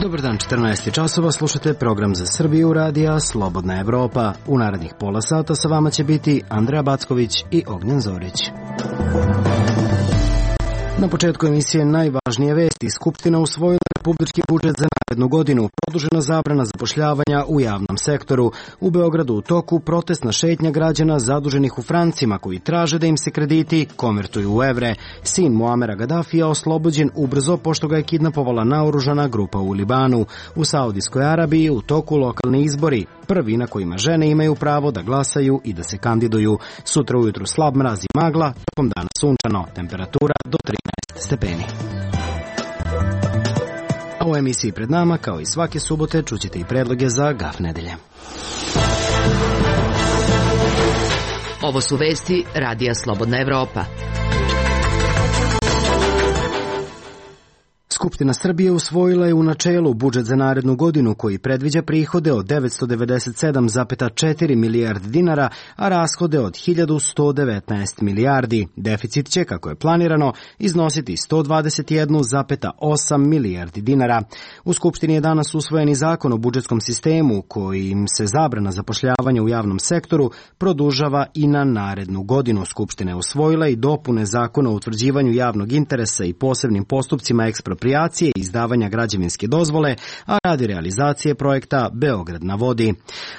Dobar dan, 14 časova, slušate program za Srbiju radija Slobodna Evropa. U narednih pola sata sa vama će biti Andreja Backović i Ognjen Zorić. Na početku emisije najvažnije vesti. Skupština usvojila republički budžet za narednu godinu, produžena zabrana zapošljavanja u javnom sektoru. U Beogradu u toku protestna šetnja građana zaduženih u francima koji traže da im se krediti konvertuju u evre. Sin Muamera Gadafija oslobođen ubrzo pošto ga je kidnapovala naoružana grupa u Libanu. U Saudijskoj Arabiji u toku lokalni izbori, prvi na kojima žene imaju pravo da glasaju i da se kandiduju. Sutra ujutru slab mraz i magla, tokom dana sunčano, temperatura do 13 stepeni. A u emisiji pred nama, kao i svake subote, čućete i predloge za GAF nedelje. Ovo su vesti Radija Slobodna Evropa. Skupština Srbije usvojila je u načelu budžet za narednu godinu koji predviđa prihode od 997,4 milijardi dinara, a rashode od 1119 milijardi. Deficit će, kako je planirano, iznositi 121,8 milijardi dinara. U Skupštini je danas usvojen i zakon o budžetskom sistemu kojim se zabrana zapošljavanja u javnom sektoru produžava i na narednu godinu. Skupština je usvojila i dopune zakona o utvrđivanju javnog interesa i posebnim postupcima eksproprijacije i izdavanja građevinske dozvole, a radi realizacije projekta Beograd na vodi.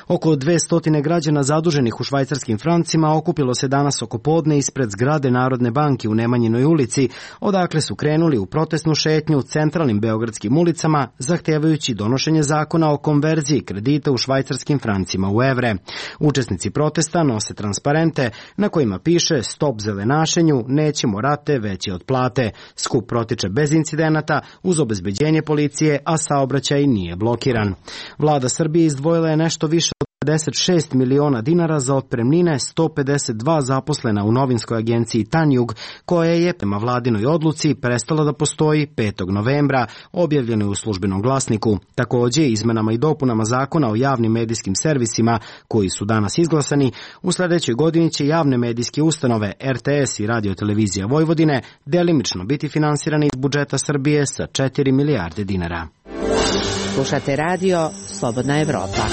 Oko 200 građana zaduženih u švajcarskim francima okupilo se danas oko podne ispred zgrade Narodne banke u Nemanjinoj ulici, odakle su krenuli u protestnu šetnju centralnim beogradskim ulicama, zahtevajući donošenje zakona o konverziji kredita u švajcarskim francima u evre. Učesnici protesta nose transparente na kojima piše "Stop zelenašenju, nećemo rate veće od plate". Skup protiče bez incidenata, uz obezbeđenje policije, a saobraćaj nije blokiran. Vlada Srbije izdvojila je nešto više od 56 miliona dinara za otpremnine 152 zaposlena u novinskoj agenciji Tanjug, koja je prema vladinoj odluci prestala da postoji 5. novembra, objavljeno je u Službenom glasniku. Takođe, izmenama i dopunama zakona o javnim medijskim servisima, koji su danas izglasani, u sledećoj godini će javne medijske ustanove RTS i Radio-televizija Vojvodine delimično biti finansirane iz budžeta Srbije sa 4 milijarde dinara. Slušate radio Slobodna Evropa.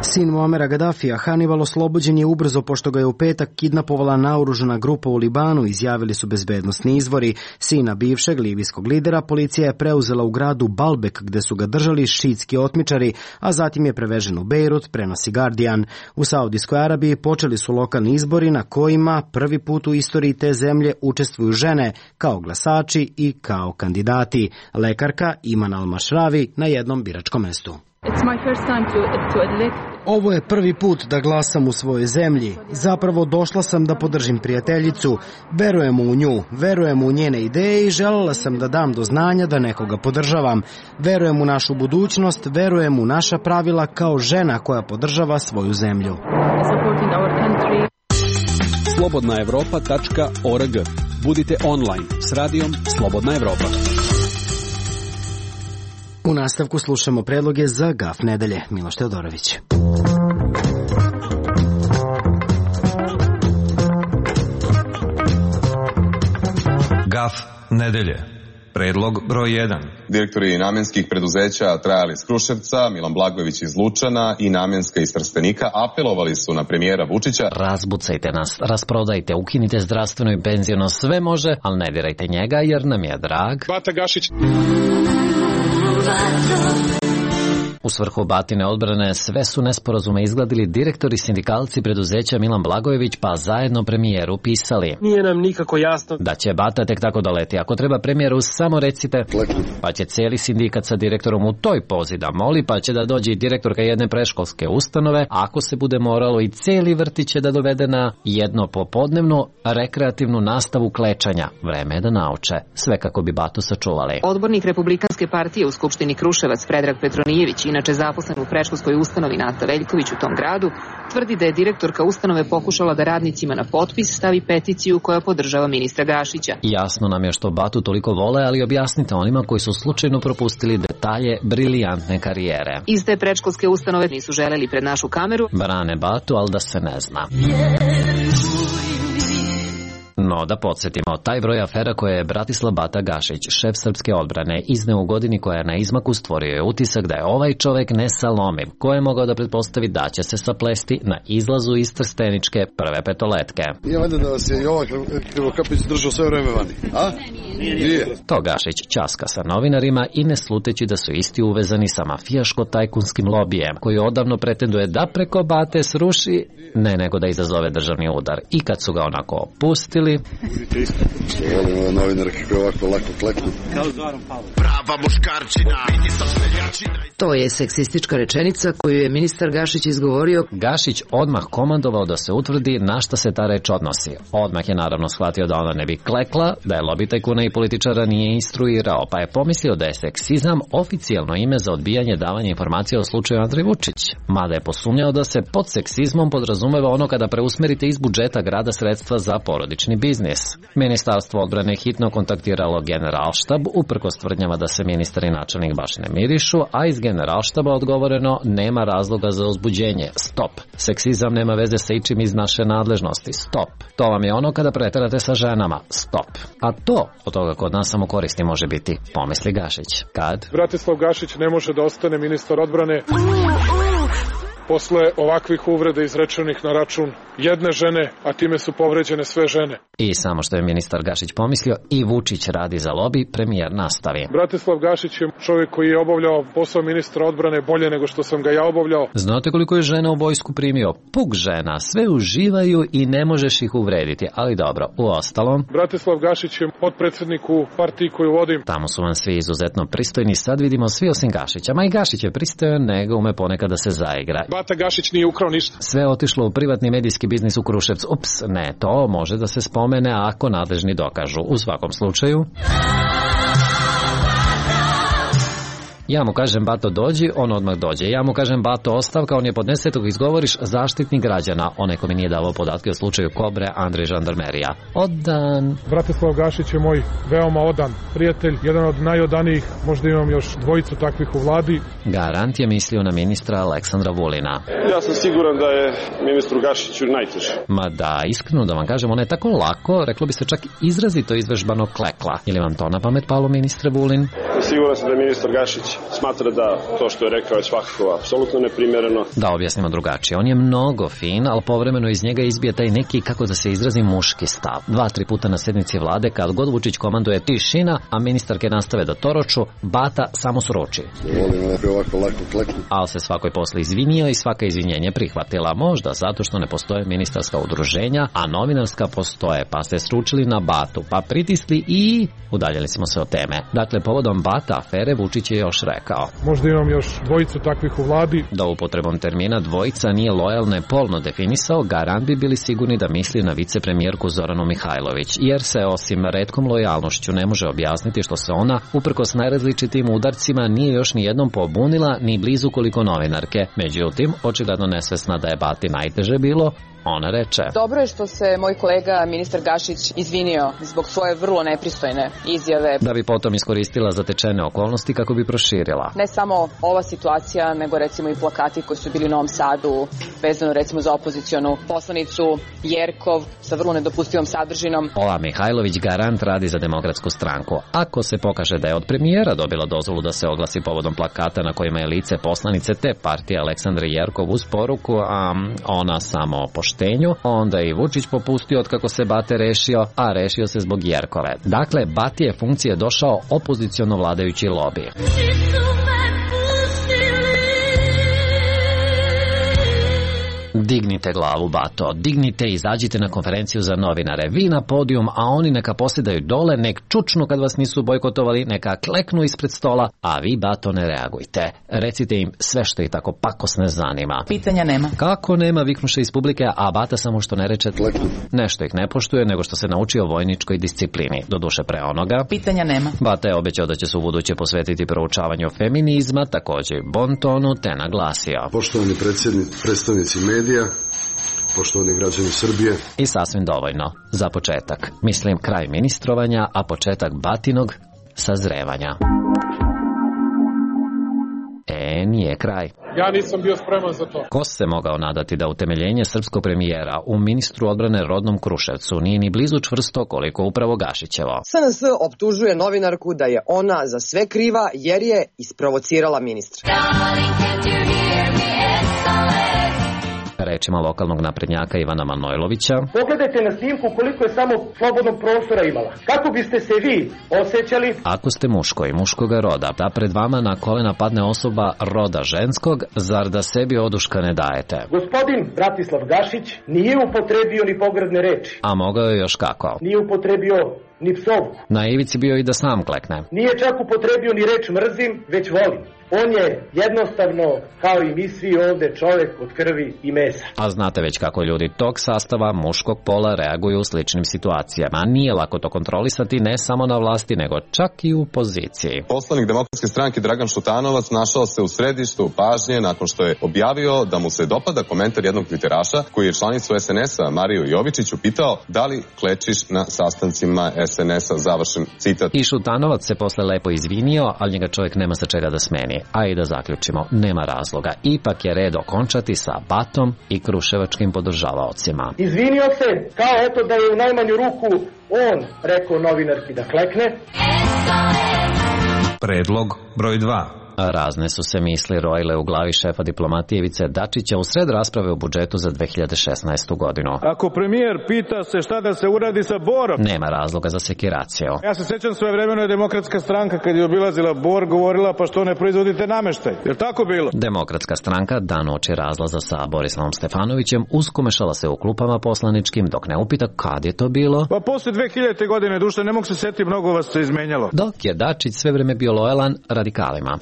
Sin Muamera Gadafija, Hannibal, oslobođen je ubrzo pošto ga je u petak kidnapovala naoružana grupa u Libanu, izjavili su bezbednosni izvori. Sina bivšeg libijskog lidera policija je preuzela u gradu Balbek, gde su ga držali šiitski otmičari, a zatim je prevežen u Bejrut, prenosi Guardian. U Saudijskoj Arabiji počeli su lokalni izbori na kojima prvi put u istoriji te zemlje učestvuju žene kao glasači i kao kandidati. Lekarka Iman Al-Mašravi na jednom biračkom mestu. Ovo je prvi put da glasam u svojoj zemlji. Zapravo došla sam da podržim prijateljicu. Verujem u nju, verujem u njene ideje i želela sam da dam do znanja da nekoga podržavam. Verujem u našu budućnost, verujem u naša pravila kao žena koja podržava svoju zemlju. Slobodnaevropa.org. Budite online s radijom Slobodna Evropa. U nastavku slušamo predloge za GAF nedelje. Miloš Teodorović. GAF nedelje. Predlog broj 1. Direktori namenskih preduzeća Trajal iz Kruševca, Milan Blagojević iz Lučana i Namenska iz Trstenika apelovali su na premijera Vučića: razbucajte nas, rasprodajte, ukinite zdravstveno i penziono, sve može, ali ne dirajte njega jer nam je drag Bata Gašić. U svrhu Batine odbrane sve su nesporazume izgladili direktori sindikalci preduzeća Milan Blagojević, pa zajedno premijeru pisali: Nije nam nikako jasno da će Bata tek tako doleti. Ako treba premijeru, samo recite. Pa će cijeli sindikat sa direktorom u toj pozi da moli, pa će da dođe i direktorka jedne predškolske ustanove, ako se bude moralo i cijeli vrtić će da dovede na jedno popodnevnu rekreativnu nastavu klečanja. Vreme je da nauče. Sve kako bi Batu sačuvali. Odbornik Republikanske partije u Skupštini Kruševac Predrag Petronijević, inače zaposlen u predškolskoj ustanovi Nata Veljković u tom gradu, tvrdi da je direktorka ustanove pokušala da radnicima na potpis stavi peticiju koja podržava ministra Gašića. Jasno nam je što Batu toliko vole, ali objasnite onima koji su slučajno propustili detalje brilijantne karijere. Iz te predškolske ustanove nisu želeli pred našu kameru. Brane Batu, ali da se ne zna. No, da podsjetimo, taj broj afera koje je Bratislav Bata Gašić, šef srpske odbrane, izneo u godini koja je na izmaku, stvorio je utisak da je ovaj čovek nesalomiv, ko je mogao da pretpostavi da će se saplesti na izlazu iz Trsteničke prve petoletke. Nije valjda da vas je i ova Krivokapić držao sve vreme vani, a? Nije. To Gašić ćaska sa novinarima i ne sluteći da su isti uvezani sa mafijaško-tajkunskim lobijem, koji odavno pretenduje da preko Bate sruši, ne nego da izazove državni udar. I kad su ga onako pustili... Budite isto, što volim ove novinare kako ovako lako kleknu. Kao Zoran Pavlov. Prava muškarčina, vidi sa seljačina. To je seksistička rečenica koju je ministar Gašić izgovorio. Gašić odmah komandovao da se utvrdi na šta se ta reč odnosi. Odmah je naravno shvatio da ona ne bi klekla, da je lobi tajkuna i političara nije instruirao, pa je pomislio da je seksizam oficijalno ime za odbijanje davanja informacija o slučaju Andrej Vučić. Mada je posumnjao da se pod seksizmom podrazumeva ono kada preusmerite iz budžeta grada sredstva za porodični biznis. Ministarstvo odbrane hitno kontaktiralo Generalštab, uprkos tvrdnjama da se ministar i načelnik baš ne mirišu, a iz Generalštaba odgovoreno nema razloga za uzbuđenje. Stop. Seksizam nema veze sa ičim iz naše nadležnosti. Stop. To vam je ono kada preterate sa ženama. Stop. A to od toga kod nas samo koristi može biti, pomisli Gašić. Kad? Bratislav Gašić ne može da ostane ministar odbrane posle ovakvih uvreda izrečenih na račun jedne žene, a time su povređene sve žene. I samo što je ministar Gašić pomislio, i Vučić radi za lobi, premijer nastavi. Bratislav Gašić je čovjek koji je obavljao posao ministra odbrane bolje nego što sam ga ja obavljao. Znate koliko je žena u vojsku primio? Puk žena, sve uživaju i ne možeš ih uvrediti, ali dobro, uostalom... Bratislav Gašić je potpredsjednik u partiji koju vodim. Tamo su vam svi izuzetno pristojni, sad vidimo svi osim Gašića, ma i Gašić je pristojan, nego ume ponekad da se zaigra. Bata Gašić nije ukrao ništa. Sve otišlo u privatni medijski biznis u Kruševcu. Ups, ne, to može da se spomene ako nadležni dokažu. U svakom slučaju... Ja mu kažem Bato dođi, on odmah dođe. Ja mu kažem Bato ostavka, on je podnese, tog izgovoriš zaštitnik građana. Onaj ko mi nije davao podatke o slučaju Kobre, Andrej Žandarmerija. Odan. Bratislav Gašić je moj veoma odan prijatelj, jedan od najodanijih, možda imam još dvojicu takvih u vladi. Garant je mislio na ministra Aleksandra Vulina. Ja sam siguran da je ministru Gašiću najteže. Ma da, iskreno da vam kažem, ona je tako lako, reklo bi se čak izrazito izvežbano klekla. Je li vam to na pamet palo, ministre Vulin? Siguran sam da je ministar Gašić smatra da to što je rekao je svakako apsolutno neprimjereno. Da objasnimo drugačije, on je mnogo fin, ali povremeno iz njega izbije taj neki, kako da se izrazi, muški stav. 2-3 puta na sednici vlade, kad god Vučić komanduje tišina, a ministarke nastave da toroču, Bata samo sruči. Ali se svakoj posle izvinio i svaka izvinjenje prihvatila, možda zato što ne postoje ministarska udruženja, a novinarska postoje, pa se sručili na Batu, pa pritisli i udaljili smo se od teme. Dakle, povodom Bata afere Vučić je još rekao. Možda imam još dvojicu takvih u vladi. Da upotrebom termina dvojica nije lojalno i polno definisao, garant bi bili sigurni da misli na vicepremijerku Zoranu Mihajlović, jer se osim retkom lojalnošću ne može objasniti što se ona, uprkos najrazličitim udarcima, nije još ni jednom pobunila, ni blizu koliko novinarke. Međutim, očigledno nesvesna da je Bati najteže bilo, ona reče. Dobro je što se moj kolega ministar Gašić izvinio zbog svoje vrlo nepristojne izjave. Da bi potom iskoristila zatečene okolnosti kako bi proširila. Ne samo ova situacija, nego recimo i plakati koji su bili u Novom Sadu, vezano recimo za opozicionu poslanicu Jerkov sa vrlo nedopustivom sadržinom. Ova Mihajlović garant radi za Demokratsku stranku. Ako se pokaže da je od premijera dobila dozvolu da se oglasi povodom plakata na kojima je lice poslanice te partije Aleksandre Jerkov uz poruku, a ona samo poštenju, onda i Vučić popustio od kako se Bate rešio, a rešio se zbog Jerkove. Dakle, Batije funkcije došao opoziciono vladajući lobi. Dignite glavu, Bato, dignite i izađite na konferenciju za novinare. Vi na podijum, a oni neka posedaju dole, nek čučnu kad vas nisu bojkotovali, neka kleknu ispred stola, a vi, Bato, ne reagujte. Recite im sve što ih tako pakosne zanima. Pitanja nema. Kako nema, viknuše iz publike, a Bata samo što ne reče nešto ih ne poštuje, nego što se naučio vojničkoj disciplini. Doduše pre onoga. Pitanja nema. Bata je obećao da će se ubuduće posvetiti proučavanju feminizma, također i bontonu, te naglasio. Poštovani predstavnici medija, poštovani građani Srbije. I sasvim dovoljno. Za početak. Mislim kraj ministrovanja, a početak Batinog sazrevanja. nije kraj. Ja nisam bio spreman za to. Ko se mogao nadati da utemeljenje srpskog premijera u ministru odbrane rodnom Kruševcu nije ni blizu čvrsto koliko upravo Gašićevo. SNS optužuje novinarku da je ona za sve kriva jer je isprovocirala ministra. Rečima lokalnog naprednjaka Ivana Manojlovića. Pogledajte na snimku koliko je samo slobodnog prostora imala. Kako biste se vi osjećali? Ako ste muško i muškoga roda, da pred vama na kolena padne osoba roda ženskog, zar da sebi oduška ne dajete? Gospodin Bratislav Gašić nije upotrebio ni pogrdne reči. A mogao je još kako? Nije upotrebio ni psovku. Na ivici bio i da sam klekne. Nije čak upotrebio ni reč mrzim, već volim. On je jednostavno, kao i mi svi ovde, čovek od krvi i mesa. A znate već kako ljudi tog sastava muškog pola reaguju u sličnim situacijama. Nije lako to kontrolisati ne samo na vlasti, nego čak i u poziciji. Poslanik Demokratske stranke Dragan Šutanovac našao se u središtu pažnje nakon što je objavio da mu se dopada komentar jednog tviteraša koji je članicu SNS-a Mariju Jovičiću pitao da li klečiš na sastancima SNS-a, završen citat. I Šutanovac se posle lepo izvinio, ali njega čovjek nema sa čega da smeni. A i da zaključimo, nema razloga. Ipak je red okončati sa Batom i kruševačkim podržavaocima. Izvinio se, kao eto da je u najmanju ruku on rekao novinarki da klekne. Predlog broj 2. Razne su se misli rojile u glavi šefa diplomatije Ivice Dačića u sred rasprave o budžetu za 2016. godinu. Ako premijer pita se šta da se uradi sa Borom, nema razloga za sekiraciju. Ja se sećam svojevremeno je Demokratska stranka kad je obilazila Bor govorila pa što ne proizvodite nameštaj. Je tako bilo? Demokratska stranka dan uoči razlaza sa Borislavom Stefanovićem uskomešala se u klupama poslaničkim dok ne upita kad je to bilo. Pa posle 2000. godine, duše, ne mogu se setiti, mnogo vas se izmenjalo. Dok je Dačić sve vreme bio lojalan radikalima.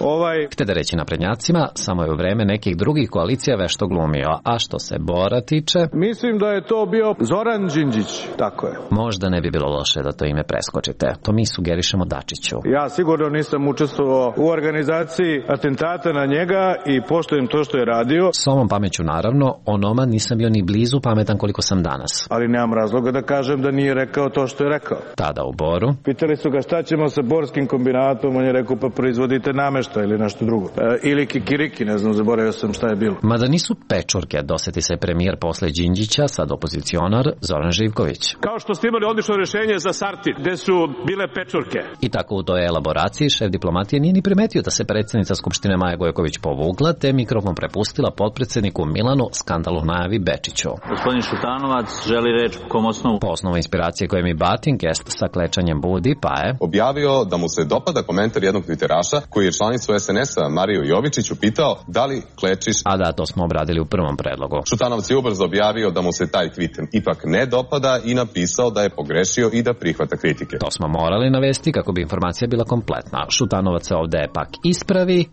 Htede reći naprednjacima, samo je u vreme nekih drugih koalicija vešto glumio, a što se Bora tiče... Mislim da je to bio Zoran Đinđić, tako je. Možda ne bi bilo loše da to ime preskočite, to mi sugerišemo Dačiću. Ja sigurno nisam učestvovao u organizaciji atentata na njega i poštujem to što je radio. S ovom pameću naravno, onoma nisam bio ni blizu pametan koliko sam danas. Ali nemam razloga da kažem da nije rekao to što je rekao. Tada u Boru. Pitali su ga šta ćemo sa borskim kombinatom, on je rekao pa proizvodite nameštaj ili nešto drugo. Ili kikiriki, ne znam, zaboravio sam šta je bilo. Mada nisu pečurke, doseti se premijer posle Đinđića, sad opozicionar Zoran Živković. Kao što ste imali odlično rješenje za Sartid, gde su bile pečurke. I tako u toj elaboraciji šef diplomatije nije ni primetio da se predsjednica Skupštine Maja Gojković povukla, te mikrofon prepustila potpredsjedniku Milanu, skandalu najavi Bečiću. Gospodin Šutanovac želi reč po kom osnovu? Po osnovu inspiracije koje mi batin gest sa klečanjem budi, pa je objavio da mu se dopada komentar jednog tviteraša koji je članicu SNS-a Mariju Jovičiću pitao da li klečiš... A da, to smo obradili u prvom predlogu. Šutanovac je ubrzo objavio da mu se taj tweet ipak ne dopada i napisao da je pogrešio i da prihvata kritike. To smo morali navesti kako bi informacija bila kompletna. Šutanovac se ovde pak ispravi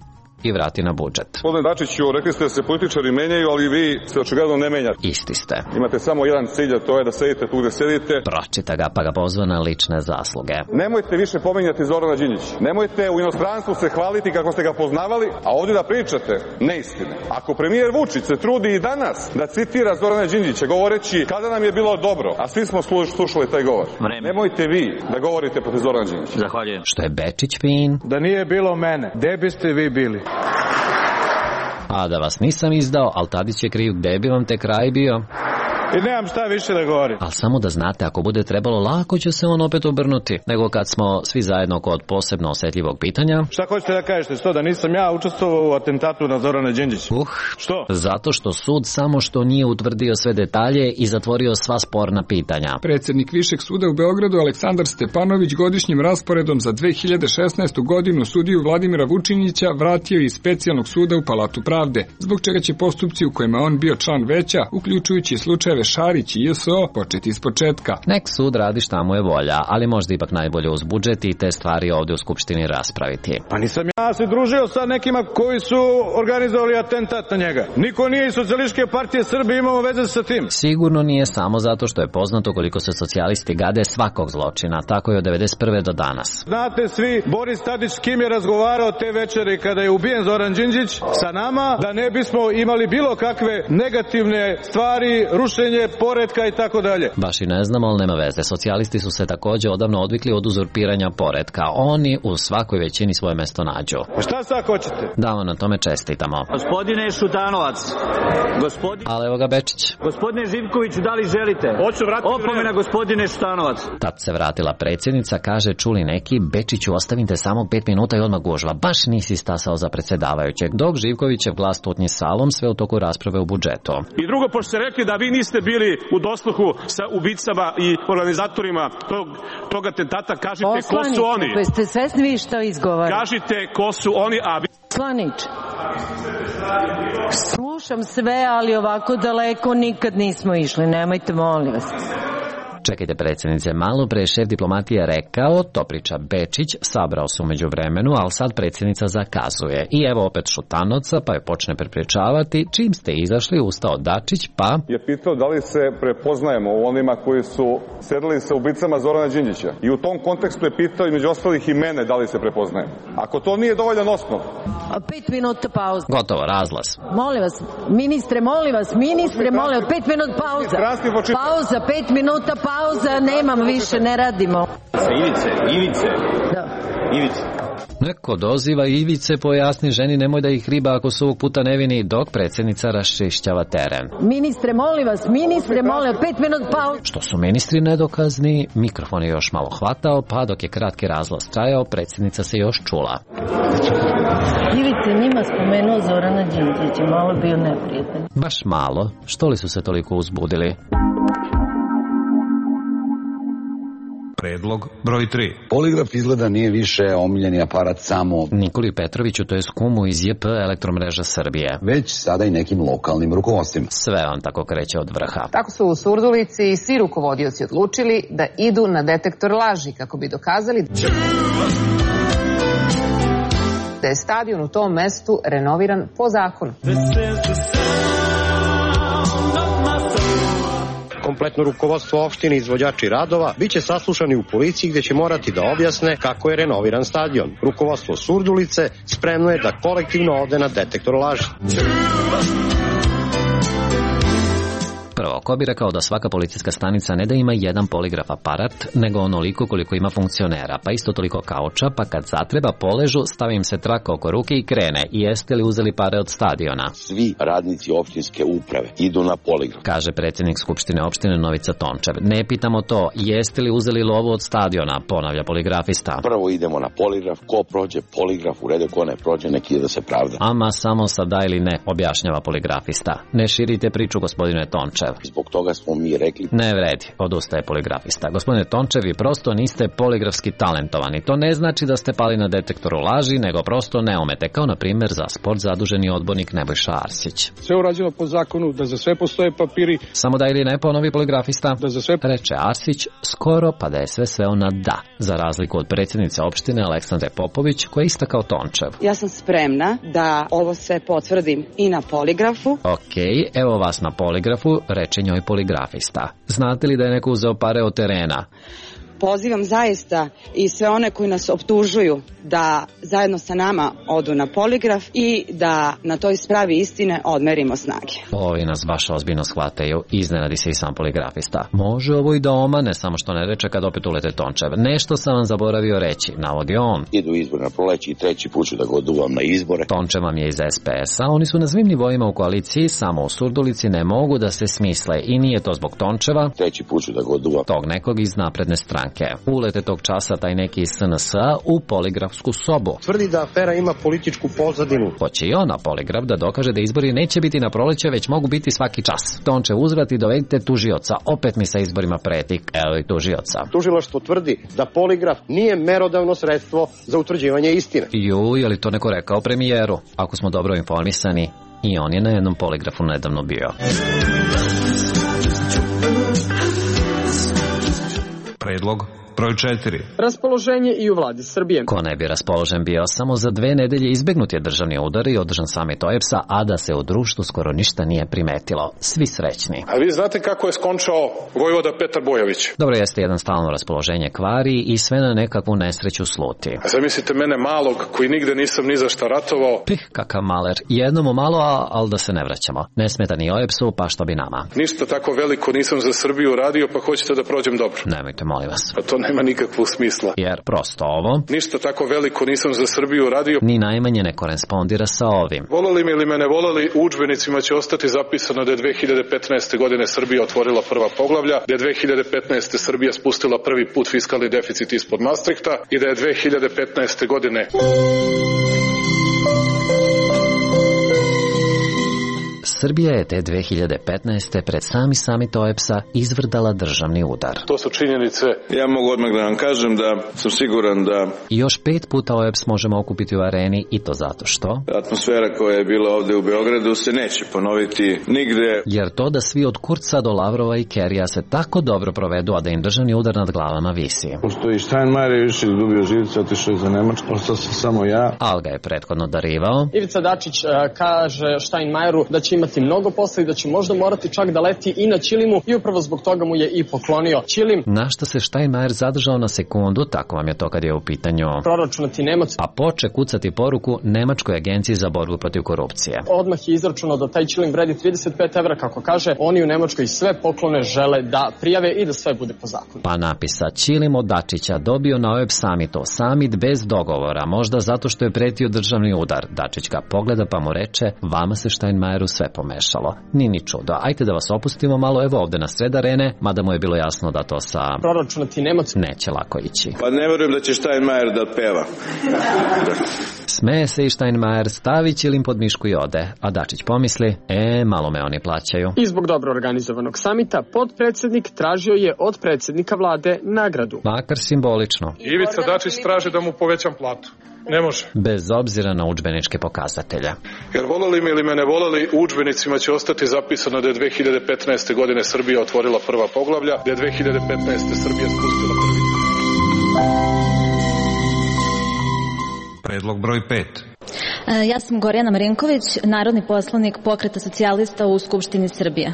i vrati na budžet. Gospodine Dačiću, rekli ste da se političari menjaju, ali vi se očigledno ne menjate. Isti ste. Imate samo jedan cilj, a to je da sedite tu gde sedite. Pročita ga pa ga pozva na lične zasluge. Nemojte više pominjati Zorana Đinđića. Nemojte u inostranstvu se hvaliti kako ste ga poznavali, a ovdje da pričate neistine. Ako premijer Vučić se trudi i danas da citira Zorana Đinđića govoreći kada nam je bilo dobro, a svi smo slušali taj govor. Vreme. Nemojte vi da govorite protiv Zorana Đinđića. Zahvaljujem. Što je Bečić fin? Da nije bilo mene, gde biste vi bili? A da vas nisam izdao, ali Tadić je kriv, gde bi vam te kraj bio? I nemam šta više da govorim. Ali samo da znate, ako bude trebalo, lako će se on opet obrnuti, nego kad smo svi zajedno kod posebno osjetljivog pitanja. Šta hoćete da kažete, što da nisam ja učestvovao u atentatu na Zorana Đinđića? Što? Zato što sud samo što nije utvrdio sve detalje i zatvorio sva sporna pitanja. Predsjednik Višeg suda u Beogradu Aleksandar Stepanović godišnjim rasporedom za 2016. godinu sudiju Vladimira Vučinića vratio iz specijalnog suda u Palatu pravde, zbog čega će postupci u kojima on bio član veća, uključujući slučajeve Šarić i JSO, početi iz početka. Nek sud radi šta mu je volja, ali možda ipak najbolje uz budžet i te stvari ovdje u Skupštini raspraviti. Pa nisam ja se družio sa nekima koji su organizovali atentat na njega. Niko nije iz Socijalističke partije Srbije imao veze sa tim. Sigurno nije samo zato što je poznato koliko se socijalisti gade svakog zločina, tako je od 1991. do danas. Znate svi, Boris Tadić s kim je razgovarao te večeri kada je ubijen Zoran Đinđić sa nama, da ne bismo imali bilo kakve negativne stvari, rušenje uvođenje poretka i tako dalje. Baš i ne znamo, ali nema veze. Socijalisti su se takođe odavno odvikli od uzurpiranja poretka. Oni u svakoj većini svoje mesto nađu. Pa šta sad hoćete? Da vam na tome čestitamo. Gospodine Šutanovac, ali evo ga Bečić. Gospodine Živkoviću, da li želite? Hoću vratiti opomena, gospodine Šutanovac. Tad se vratila predsjednica, kaže, čuli neki, Bečiću, ostavite samo 5 minuta i odmah gužva. Baš nisi stasao za predsjedavajućeg. Dok Živkovićev glas tutnji salom sve u toku rasprave u budžetu. I drugo, pošto ste rekli da vi niste bili u dosluhu sa ubicama i organizatorima tog atentata, kažite ko su oni. Pa ste svesni vi što izgovarate? Kažite ko su oni, a vi... Poslanič, slušam sve, ali ovako daleko nikad nismo išli, nemojte, molim vas. Čekajte predsjednice, malo pre šef diplomatije rekao, to priča Bečić, sabrao se umeđu vremenu, ali sad predsjednica zakazuje. I evo opet Šutanovca, pa je počne prepričavati, čim ste izašli, ustao Dačić, pa... Je pitao da li se prepoznajemo u onima koji su sedeli sa ubicama Zorana Đinđića. I u tom kontekstu je pitao i među ostalih i mene da li se prepoznajemo. Ako to nije dovoljan osnov... 5 minuta pauza. Gotovo, razglas. Molim vas, ministre, molim vas, 5 minuta pauza. Pauza, 5 minuta pauza, nemam više, ne radimo. Ivice. Da. Ivice. Neko doziva Ivice, pojasni ženi, nemoj da ih riba ako su ovog puta nevini, dok predsjednica raščišćava teren. Ministre, molim vas, 5 minuta pauza. Što su ministri nedokazni, mikrofon je još malo hvatao, pa dok je kratki razglas trajao, predsjednica se još čula. Ivice njima spomenuo Zorana Đinđića, malo bio neprijatan. Baš malo, što li su se toliko uzbudili? Predlog broj 3. Poligraf izgleda nije više omiljeni aparat samo Nikoli Petroviću, to je kumu iz JP Elektromreža Srbije, već sada i nekim lokalnim rukovodstvima. Sve on tako kreće od vrha. Tako su u Surdulici svi rukovodioci odlučili da idu na detektor laži kako bi dokazali da je stadion u tom mestu renoviran po zakonu. Kompletno rukovodstvo opštine i izvođači radova biće saslušani u policiji gde će morati da objasne kako je renoviran stadion. Rukovodstvo Surdulice spremno je da kolektivno ode na detektor laži. Prvo, ko bi rekao da svaka policijska stanica ne da ima jedan poligraf aparat, nego onoliko koliko ima funkcionera, pa isto toliko kauča, pa kad zatreba poležu, stavi im se traka oko ruke i krene. I jeste li uzeli pare od stadiona? Svi radnici opštinske uprave idu na poligraf, kaže predsjednik Skupštine opštine Novica Tončev. Ne pitamo to, jeste li uzeli lovu od stadiona, ponavlja poligrafista. Prvo idemo na poligraf, ko prođe poligraf u redu, ko ne prođe neki ide da se pravda. Ama samo sa da ili ne, objašnjava poligrafista. Ne širite priču, gospodine Tončev. Zbog toga smo mi rekli... Ne vredi, odustaje poligrafista. Gospodine Tončev, vi prosto niste poligrafski talentovani. To ne znači da ste pali na detektoru laži, nego prosto ne umete, kao na primjer za sport zaduženi odbornik Nebojša Arsić. Sve urađeno po zakonu, da za sve postoje papiri. Samo da ili ne, ponovi poligrafista. Da za sve... Reče Arsić, skoro pa da je sve sveo na da, za razliku od predsjednice opštine Aleksandre Popović, koja je ista kao Tončev. Ja sam spremna da ovo sve potvrdim i na poligrafu. Okej, evo vas na poligrafu, reče njoj poligrafista. Znate li da je neko uzeo pare od terena? Pozivam zaista i sve one koji nas optužuju da zajedno sa nama odu na poligraf i da na toj spravi istine odmerimo snage. Ovi nas baš ozbiljno shvataju, iznenadi se i sam poligrafista. Može ovo i da omane, samo što ne reče kad opet ulete Tončev. Nešto sam vam zaboravio reći, navodi on. Idu izbori na proleće i treći put ću da ga oduvam na izbore. Tončev vam je iz SPS-a, oni su na svim nivoima u koaliciji, samo u Surdulici ne mogu da se smisle i nije to zbog Tončeva. Treći put ću da ga oduvam. Tog nekog iz napredne stranke. Ulete tog časa taj neki iz SNS-a u poligrafsku sobu. Tvrdi da afera ima političku pozadinu. Hoće i on na poligraf da dokaže da izbori neće biti na proleće, već mogu biti svaki čas. Tončev uzvrati, dovedite tužioca. Opet mi sa izborima preti. Evo i tužioca. Tužilaštvo tvrdi da poligraf nije merodavno sredstvo za utvrđivanje istine. Je li to neko rekao premijeru? Ako smo dobro informisani, i on je na jednom poligrafu nedavno bio. Predlog broj 4. Raspoloženje i u vladi Srbije. Ko ne bi raspoložen bio, samo za 2 nedelje izbegnut je državni udar i održan samit OEBS-a, a da se u društvu skoro ništa nije primetilo. Svi srećni. A vi znate kako je skončao vojvoda Petar Bojović? Dobro, jeste jedan stalno raspoloženje kvari i sve na nekakvu nesreću sluti. A zamislite mene malog koji nigde nisam ni za šta ratovao. Kakav maler. Jednom malo, ali da se ne vraćamo. Ne smeta ni OEBS-u, pa što bi nama. Ništa tako veliko nisam za Srbiju radio, pa hoćete da prođem dobro. Nemojte, molim vas. Pa to nema nikakvog smisla. Jer prosto ovo... Ništa tako veliko nisam za Srbiju radio. Ni najmanje ne korespondira sa ovim. Voleli mi ili me ne voleli, u udžbenicima će ostati zapisano da je 2015. godine Srbija otvorila prva poglavlja, da je 2015. Srbija spustila prvi put fiskalni deficit ispod Maastrichta i da je 2015. godine... Srbija je te 2015. pred sami samit OEBS-a izvrdala državni udar. To su činjenice. Ja mogu odmah da vam kažem da sam siguran da... I još 5 puta OEBS možemo okupiti u areni i to zato što... Atmosfera koja je bila ovde u Beogradu se neće ponoviti nigde. Jer to da svi od Kurca do Lavrova i Kerija se tako dobro provedu, a da im državni udar nad glavama visi. Pošto i Steinmeier je više izgubio živce, otišao je za Nemačku, ostao sam samo ja. Al ga je prethodno darivao. Ivica Dačić kaže Steinmeieru da će imati mnogo posla i da će možda morati čak da leti i na Ćilimu i upravo zbog toga mu je i poklonio Ćilim. Na što se Steinmeier zadržao na sekundu, tako vam je to kad je u pitanju proračunati Nemac, a poče kucati poruku Nemačkoj agenciji za borbu protiv korupcije. Odmah je izračunao da taj Ćilim vredi 35 evra, kako kaže, oni u Nemačkoj sve poklone žele da prijave i da sve bude po zakonu. Pa napisa Ćilim od Dačića dobio na OEBS samitu, samit bez dogovora, možda zato što je pretio državni udar. Dačić ga pogleda pa mu reče, vama se Steinmeieru sve pomešalo. Ni čudo. Ajte da vas opustimo malo, evo ovde na sred arene, mada mu je bilo jasno da to sa proračunati Nemac neće lako ići. Pa ne verujem da će Steinmeier da peva. Smeje se i Steinmeier, stavi Ćilim pod mišku i ode, a Dačić pomisli, malo me oni plaćaju. I zbog dobro organizovanog samita, podpredsednik tražio je od predsednika vlade nagradu. Makar simbolično. Ivica Dačić traži da mu povećam platu. Ne može. Bez obzira na udžbeničke pokazatelje. Jer voleli mi ili me ne voleli, u udžbenicima će ostati zapisano da je 2015. godine Srbija otvorila prva poglavlja, da je 2015. Srbija spustila prvi. Predlog broj 5. Ja sam Gorjana Marinković, narodni poslanik Pokreta socijalista u Skupštini Srbije.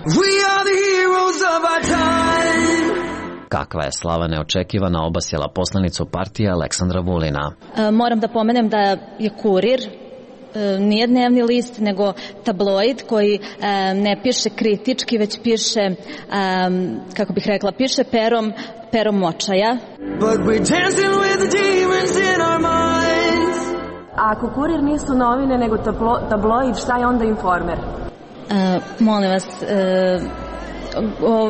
Kakva je slava neočekivana obasjela poslanicu partije Aleksandra Vulina. Moram da pomenem da je Kurir nije dnevni list, nego tabloid koji ne piše kritički, već piše, kako bih rekla, piše perom očaja. A ako Kurir nisu novine, nego tabloid, šta je onda Informer? Molim vas...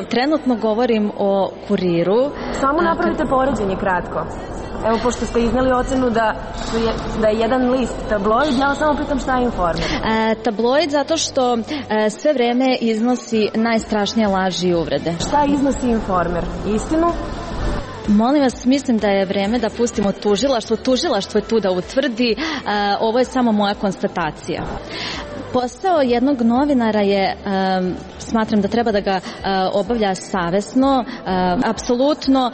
trenutno govorim o Kuriru. Samo napravite poređenje kratko. Evo, pošto ste izneli ocenu da je jedan list tabloid, ja vas samo pitam šta je Informer. Tabloid zato što sve vreme iznosi najstrašnije laži i uvrede. Šta iznosi Informer? Istinu? Molim vas, mislim da je vreme da pustimo tužilaštvo. Tužilaštvo je tu da utvrdi. Ovo je samo moja konstatacija. Posao jednog novinara je, smatram da treba da ga obavlja savesno, apsolutno.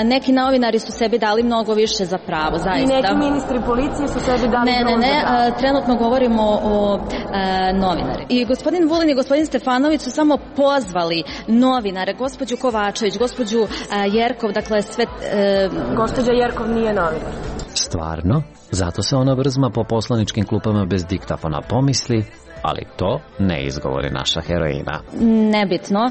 Neki novinari su sebi dali mnogo više za pravo, zaista. I neki ministri policije su sebi dali mnogo za pravo. Ne, trenutno govorimo o novinari. I gospodin Vulin i gospodin Stefanović su samo pozvali novinare, gospođu Kovačević, gospođu Jerkov, dakle sve... Gospođa Jerkov nije novinar. Stvarno? Zato se ona vrzma po poslaničkim klupama bez diktafona, pomisli, ali to ne izgovori naša heroina. Nebitno.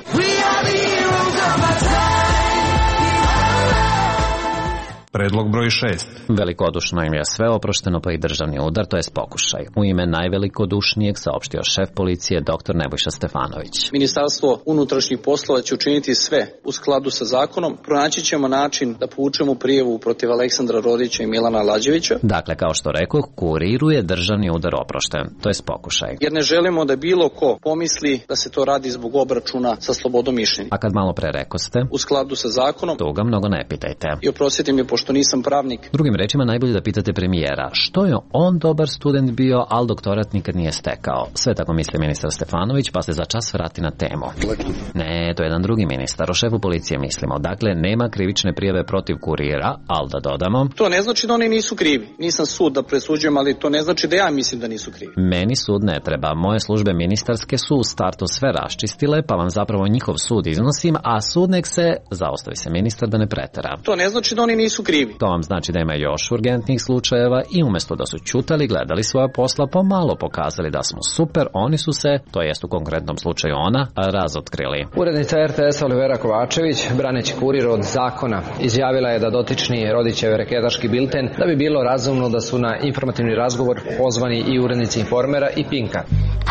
Predlog broj 6. Velikodušno im je sve oprošteno, pa i državni udar, to je pokušaj. U ime najvelikodušnijeg saopštio šef policije dr. Nebojša Stefanović. Ministarstvo unutrašnjih poslova će učiniti sve u skladu sa zakonom. Pronaći ćemo način da povučemo prijavu protiv Aleksandra Rodića i Milana Lađevića. Dakle, kao što rekoh, Kuriru je državni udar oprošten, to je pokušaj. Jer ne želimo da bilo ko pomisli da se to radi zbog obračuna sa slobodom mišljenja. A kad malo pre rekoste, u skladu sa zakonom, tu ga mnogo ne pitajte. I oprostite mi, pošto što nisam pravnik. Drugim rečima, najbolje da pitate premijera što je on dobar student bio, ali doktorat nikad nije stekao. Sve tako misli ministar Stefanović, pa se za čas vrati na temu. Ne, to je jedan drugi ministar, o šefu policije mislimo. Dakle, nema krivične prijave protiv kurira, ali da dodamo... To ne znači da oni nisu krivi. Nisam sud da presuđujem, ali to ne znači da ja mislim da nisu krivi. Meni sud ne treba. Moje službe ministarske su u startu sve raščistile, pa vam zapravo njihov sud iznosim, a sud nek se, zaostavi se ministar da ne pretera. To ne znači da oni nisu krivi. To vam znači da ima još urgentnih slučajeva i umjesto da su ćutali, gledali svoja posla, pomalo pokazali da smo super, oni su se, to jest u konkretnom slučaju ona, razotkrili. Urednica RTS-a Olivera Kovačević, braneći Kurir od zakona, izjavila je da dotični Rodićev reketaški bilten, da bi bilo razumno da su na informativni razgovor pozvani i urednici Informera i Pinka.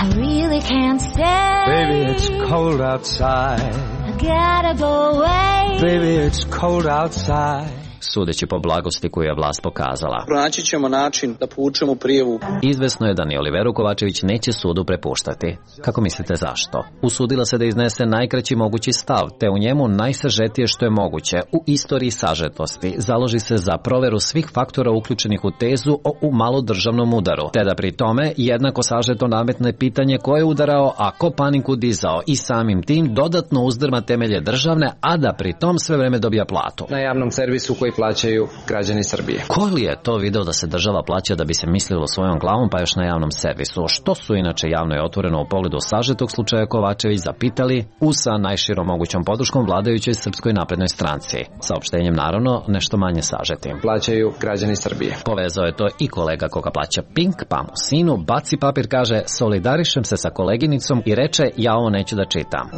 I really can't stay. Baby, it's cold outside. I gotta go away. Baby, it's cold outside. Sudeći po blagosti koju je vlast pokazala. Pronaći ćemo način da povučemo prijavu. Izvesno je da ni Oliveru Kovačević neće sudu prepuštati. Kako mislite zašto? Usudila se da iznese najkraći mogući stav, te u njemu najsažetije što je moguće, u istoriji sažetosti, založi se za proveru svih faktora uključenih u tezu o malodržavnom udaru, te da pri tome jednako sažeto nametne pitanje ko je udarao, a ko paniku dizao i samim tim dodatno uzdrma temelje državne, a da pri tom sve vreme dobija platu. Na javnom servisu koji plaćaju građani Srbije. Ko li je to video da se država plaća da bi se mislilo svojom glavom, pa još na javnom servisu? Što su inače javno i otvoreno u pogledu sažetog slučaja Kovačević zapitali sa najširom mogućom podrškom vladajućoj Srpskoj naprednoj stranci. Saopštenjem naravno nešto manje sažetim. Plaćaju građani Srbije. Povezao je to i kolega koga plaća Pink, pa mu sinu baci papir, kaže solidarišem se sa koleginicom i reče ja ovo neću da čitam.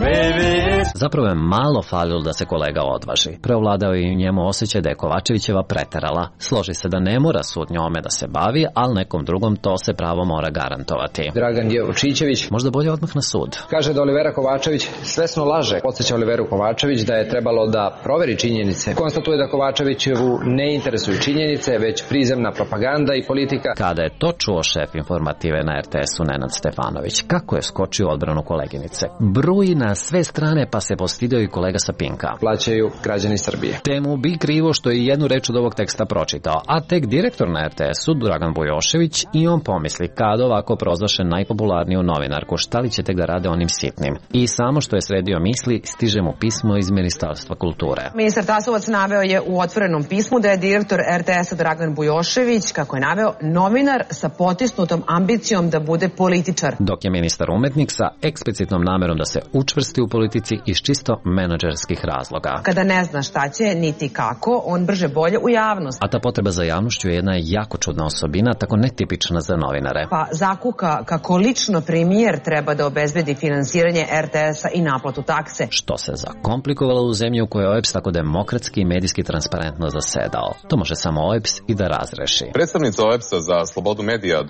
Zapravo je malo falilo da se kolega odvaži. Preovladao je i njemu osjećaj da je Kovačevićeva preterala. Složi se da ne mora sud njome da se bavi, ali nekom drugom to se pravo mora garantovati. Dragan Jevočićević možda bolje odmah na sud. Kaže da Olivera Kovačević svesno laže. Podsjeća Oliveru Kovačević da je trebalo da proveri činjenice. Konstatuje da Kovačevićevu ne interesuju činjenice, već prizemna propaganda i politika. Kada je to čuo šef informative na RTS-u Nenad Stefanović, kako je skočio odbranu koleginice. Bruji na sve strane, pa se postidio i kolega sa Pinka. Plaćaju građani Srbije. Temu bi krivo što je jednu reč od ovog teksta pročitao, a tek direktor na RTS-u Dragan Bujošević i on pomisli kad ovako prozvaše najpopularniju novinarku, šta li će tek da rade onim sitnim. I samo što je sredio misli, stiže mu pismo iz Ministarstva kulture. Ministar Tasovac naveo je u otvorenom pismu da je direktor RTS-a Dragan Bujošević, kako je naveo, novinar sa potisnutom ambicijom da bude političar. Dok je ministar umetnik sa eksplicitnom namerom da se učvrsti u politici iz čisto menadžerskih razloga. Kada ne zna šta će, niti kako, on brže bolje u javnost. A ta potreba za javnošću je jedna jako čudna osobina, tako netipična za novinare. Pa zakuka kako lično premijer treba da obezbedi finansiranje RTS-a i naplatu takse. Što se zakomplikovalo u zemlji u kojoj je OEBS tako demokratski i medijski transparentno zasedao. To može samo OEBS i da razreši. Predstavnica OEBS-a za slobodu medija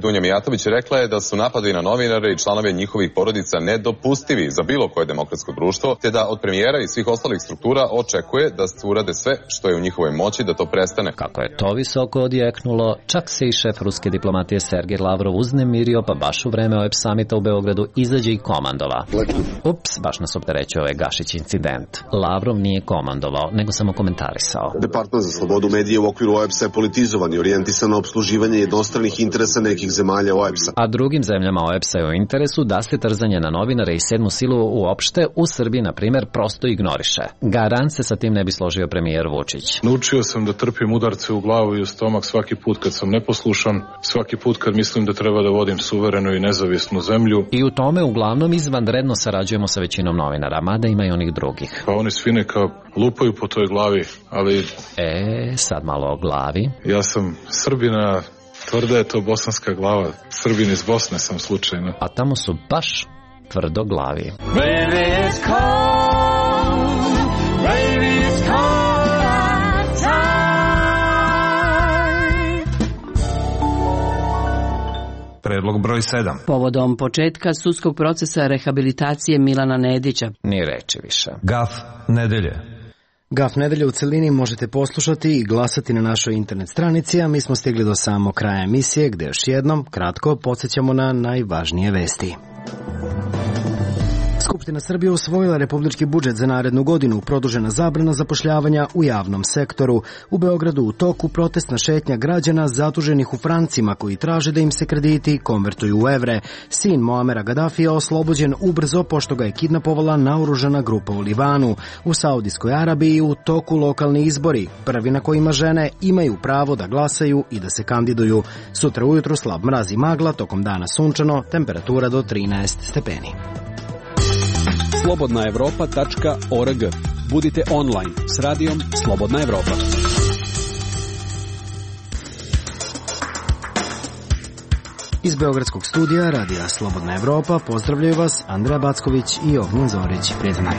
Dunja Mijatović rekla je da su napadi na novinare i članove njihovih porodica nedopustivi za bilo koje demokratsko društvo, te da od premijera i svih ostalih struktura očekuje da se urade sve što je u njihovoj moći da to prestane. Kako je to visoko odjeknulo, čak se i šef ruske diplomatije Sergej Lavrov uznemirio, pa baš u vreme OEBS samita u Beogradu izađe i komandova. Ups, baš nas opterećuje ovaj Gašić incident. Lavrov nije komandovao, nego samo komentarisao. Departman za slobodu medije u okviru OEBS-a je politizovan i orijentisan na opsluživanje jednostranih interesa nekih zemalja OEBS-a. A drugim zemljama OEBS-a je u interesu da se trzanje na novinare i sedmu silu uopšte u Srbiji, na primjer, prosto ignoriše. Garant se sa tim ne bi složio premijer Vučić. Naučio sam da trpim udarce u glavu i u stomak svaki put kad sam neposlušan, svaki put kad mislim da treba da vodim suverenu i nezavisnu zemlju. I u tome uglavnom izvanredno sarađujemo sa većinom novinara, mada ima i onih drugih. Pa oni svi neka lupaju po toj glavi, ali... sad malo o glavi. Ja sam Srbina, tvrda je to bosanska glava. Srbin iz Bosne sam slučajno. A tamo su baš tvrdo glavi. Baby, it's cold. Baby, it's cold outside. Predlog broj 7. Povodom početka sudskog procesa rehabilitacije Milana Nedića. Ni reči više. Gaf nedelje. Gaf nedelje u celini možete poslušati i glasati na našoj internet stranici, a mi smo stigli do samog kraja emisije, gde još jednom, kratko, podsjećamo na najvažnije vesti. Skupština Srbije usvojila republički budžet za narednu godinu, produžena zabrana zapošljavanja u javnom sektoru. U Beogradu u toku protestna šetnja građana zaduženih u francima koji traže da im se krediti konvertuju u evre. Sin Moamera Gadafija je oslobođen ubrzo pošto ga je kidnapovala naoružana grupa u Libanu. U Saudijskoj Arabiji u toku lokalni izbori, prvi na kojima žene imaju pravo da glasaju i da se kandiduju. Sutra ujutru slab mraz i magla, tokom dana sunčano, temperatura do 13 stepeni. slobodnaevropa.org. Budite online s radijom Slobodna Evropa. Iz beogradskog studija radija Slobodna Evropa pozdravljaju vas Andreja Backović i Ognjen Zorić. Prijatno.